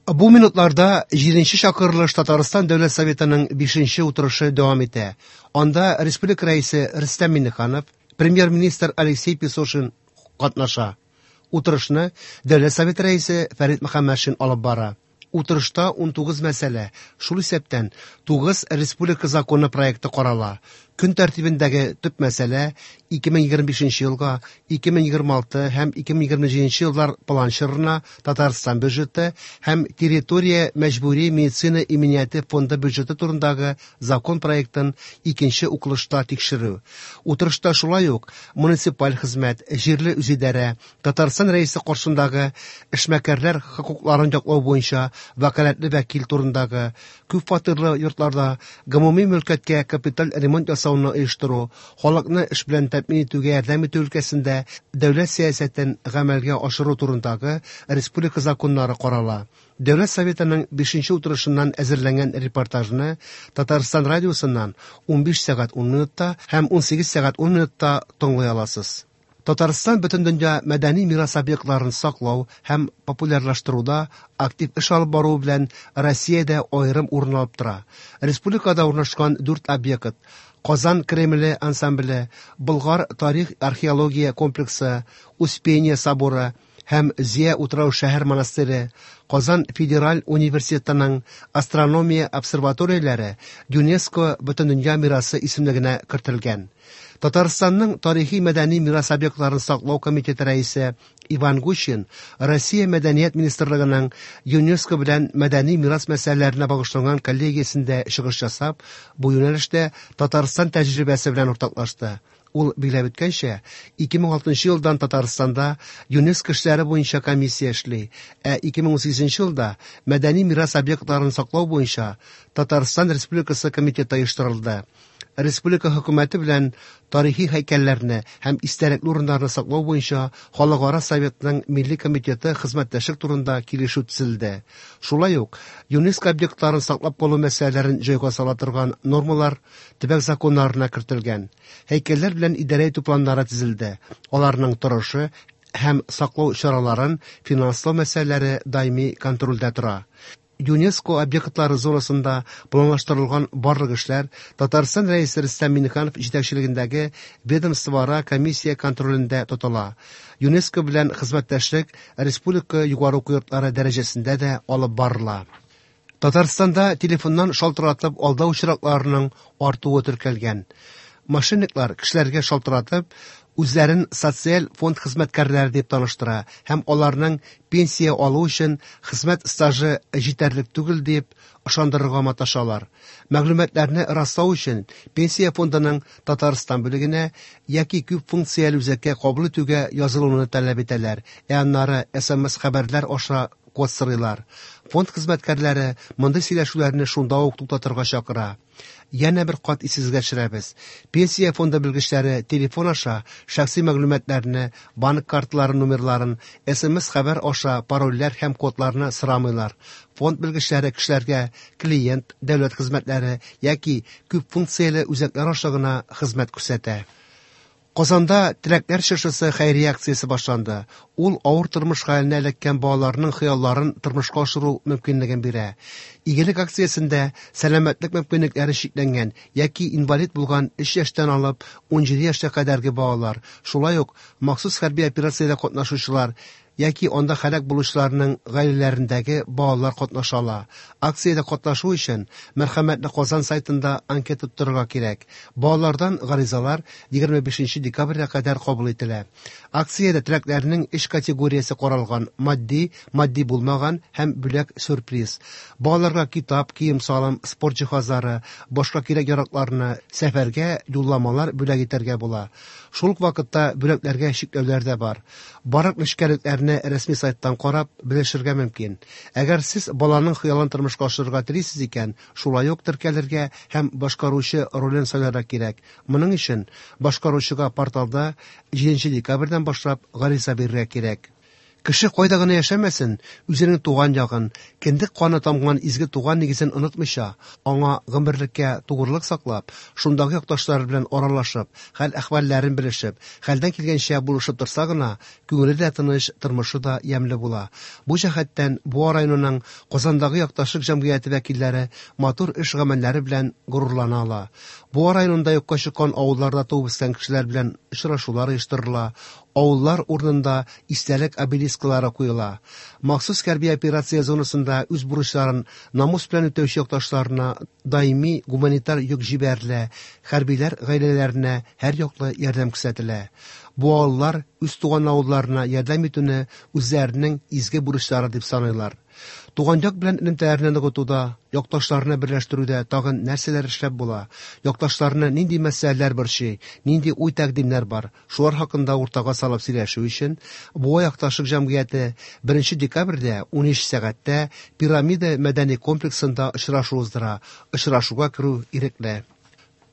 Бу минутларда җиденче чакырылыш Татарстан Дәүләт Советының бишенче утырышы дәвам итә. Анда республика Рәисе Рөстәм Миңнеханов, Премьер-министр Алексей Песошин катнаша. Утырышны Дәүләт Советы Рәисе Фәрит Мөхәммәтшин алып бара. Утырышта 19 мәсьәлә, шул исәптән 9 республика законы проекты карала. Көн тәртибендәге төп мәсьәлә 2025 елга, 2026 һәм 2027 еллар план чорына Татарстан бюджеты һәм территория мәҗбүри медицина иминияте фонды бюджеты турындагы закон проектын икенче укылышта тикшерү. Утырышта шулай ук муниципаль хезмәт, җирле үзидарә, Татарстан Рәисе каршындагы эшмәкәрләр хокукларын яклау буенча вәкаләтле вәкил турындагы, күп фатирлы йортларда гомуми мөлкәткә капиталь ремонт ясауны оештыру, халыкны эш белән тәэмин итүгә ярдәм итү өлкәсендә дәүләт сәясәтен гамәлгә ашыру турындагы республика законнары карала. Дәүләт Советының бишенче утырышыннан әзерләнгән репортажны Татарстан радиосыннан 15 сәгать 10 минутта һәм 18 сәгать 10 минутта тыңлый аласыз. Татарстан бөтендөнья мәдәни мирас объектларын саклау һәм популярлаштыруда актив эш алып баруы белән Россиядә аерым урын алып тора. Республикада урнашкан дүрт объект Казан Кремле ансамбле, Болгар тарих-археология комплексы, Успение соборы һәм Зөя утрау-шәһәр монастыре, Казан федераль университетының астрономия обсерваторияләре ЮНЕСКО Бөтендөнья мирасы исемлегенә кертелгән. Татарстанның тарихи-мәдәни мирас объектларын саклау комитеты рәисе Иван Гущин Россия Мәдәният министрлыгының ЮНЕСКО белән мәдәни мирас мәсьәләләренә багышланган коллегиясендә чыгыш ясап, бу юнәлештә Татарстан тәҗрибәсе белән уртаклашты. Ул билгеләп үткәнчә, 2006 елдан Татарстанда ЮНЕСКО эшләре буенча комиссия эшли, ә 2018 елда мәдәни мирас объектларын саклау буенча Татарстан Республикасы комитеты оештырылды. Республика хөкүмәте белән тарихи һәйкәлләрне һәм истәлекле урыннарны саклау буенча Халыкара советның милли комитеты хезмәттәшлек турында килешү төзелде. Шулай ук ЮНЕСКО объектларын саклап калу мәсьәләләрен җайга сала торган нормалар төбәк законнарына кертелгән. Һәйкәлләр белән идарә итү планнары төзелде. Аларның торышы һәм саклау чараларын финанслау мәсьәләләре даими контрольдә тора. ЮНЕСКО объектлары зонасында планлаштырылган барлык эшләр Татарстан Рәисе Рөстәм Миңнеханов җитәкчелегендәге ведомствоара комиссия контролендә тотыла. ЮНЕСКО белән хезмәттәшлек республика югары уку йортлары дәрәҗәсендә дә алып барыла. Татарстанда телефоннан шалтыратып алдау очракларының артуы теркәлгән. Мошенниклар кешеләргә шалтыратып, үзләрен социаль фонд хезмәткәрләре дип таныштыра һәм аларның пенсия алу өчен хезмәт стажы җитәрлек түгел дип ышандырырга маташалар. Мәгълүматларны раслау өчен пенсия фондының Татарстан бүлегенә яки күп функцияле үзәккә кабул итүгә язылуны таләп итәләр, ә аннары СМС-хәбәрләр аша код сорыйлар. Фонд хезмәткәрләре мондый сөйләшүләрне шунда ук туктатырга чакыра. Янә бер кат исегезгә төшерәбез. Пенсия фонды белгечләре телефон аша шәхси мәгълүматларны, банк карталары номерларын, СМС-хәбәр аша парольләр һәм кодларны сорамыйлар. Фонд белгечләре кешеләргә клиент, дәүләт хезмәтләре яки күп функцияле үзәкләр аша гына хезмәт күрсәтә. Казанда Теләкләр чыршысы хәйрия акциясе башланды. Ул авыр тормыш хәленә эләккән балаларның хыялларын тормышка ашыру мөмкинлеген бирә. Игелек акциясендә сәламәтлек мөмкинлекләре чикләнгән яки инвалид булган 3 яшьтән алып 17 яшькә кадәрге балалар, шулай ук махсус хәрби операциядә катнашучылар яки анда һәлак булучыларның гаиләләрендәге балалар катнаша ала. Акциядә катнашу өчен Мәрхәмәтле Казан сайтында анкета тутырырга кирәк. Балалардан гаризалар 25 декабрьгә кадәр кабул ителә. Акциядә теләкләрнең өч категориясе каралган: матди, матди булмаган һәм бүләк-сюрприз. Балаларга китап, кием-салым, спорт җиһазлары, башка кирәк-яракларны, сәфәргә юлламалар бүләк итәргә була. Шул ук вакытта бүләкләргә чикләүләр дә бар. Барлык нечкәлекләрне рәсми сайттан карап, белешергә мөмкин. Әгәр сез баланың хыялын тормышка ашырырга телисез икән, шулай ук теркәлергә һәм башкаручы ролен сайларга кирәк. Моның өчен башкаручыга порталда 7 декабрьдән башлап гариза бирергә кирәк. Кеше кайда гына яшәмәсен, үзенең туган ягын, кендек каны тамган изге туган нигезен онытмыйча, аңа гомерлеккә тугрылык саклап, шундагы якташлары белән аралашып, хәл-әхвәлләрен белешеп, хәлдән килгәнчә булышып торса гына, күңеле дә тыныч, тормышы да ямьле була. Бу җәһәттән Буа районының Казандагы якташлык җәмгыяте вәкилләре матур эш-гамәлләре белән горурлана ала. Буа районында юкка чыккан авылларда туып үскән кешеләр белән очрашулар оештырыла, авыллар урынында истәлек обелисклары куела. Махсус хәрби операция зонасында үз бурычларын намус белән үтәүче якташларына даими гуманитар йөк җибәрелә, хәрбиләр гаиләләренә һәрьяклы ярдәм күрсәтелә. Буалылар үз туган авылларына ярдәм итүне үзләренең изге бурычлары дип саныйлар. Туган як белән элемтәләрне ныгытуда, якташларны берләштерүдә тагын нәрсәләр эшләп була, якташларны нинди мәсьәләләр борчый, нинди уй-тәкъдимнәр бар, шулар хакында уртага салып сөйләшү өчен Буа якташлык җәмгыяте 1 декабрьдә 13 сәгатьтә Пирамида мәдәни комплексында очрашу уздыра. Очрашуга керү ирекле.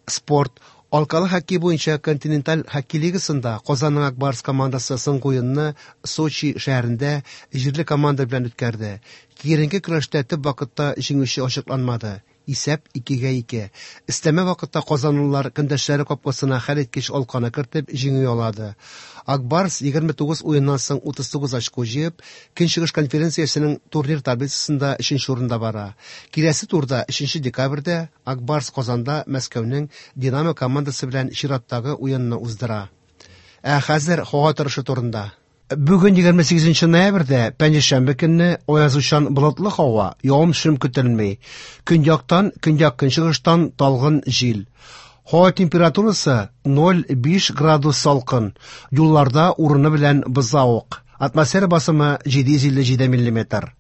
Спорт. Алкалы хоккей буенча континенталь хоккей лигасында Казанның Ак Барс командасы соңгы уенны Сочи шәһәрендә җирле команда белән үткәрде. Киеренке көрәштә төп вакытта җиңүче ачыкланмады. Исәп 2-2. Өстәмә вакытта казанлылар көндәшләре капкасына хәлиткеч алканы кертеп җиңү яулады. Ак Барс 29 уеннан соң 39 очко җыеп, Көнчыгыш конференциясенең турнир таблицасында өченче урында бара. Киләсе турда 3 декабрьдә Ак Барс Казанда Мәскәүнең Динамо командасы белән чираттагы уенны уздыра. Ә хәзер һава торышы турында. Бүген 28 ноябрьдә, пәнҗешәмбе көнне аязучан болытлы һава, явым-төшем көтелми. Көньяктан, көньяк-көнчыгыштан талгын җил. Һава температурасы 0,5 градус салкын. Юлларда урыны белән бозлавык. Атмосфера басымы 757 миллиметр.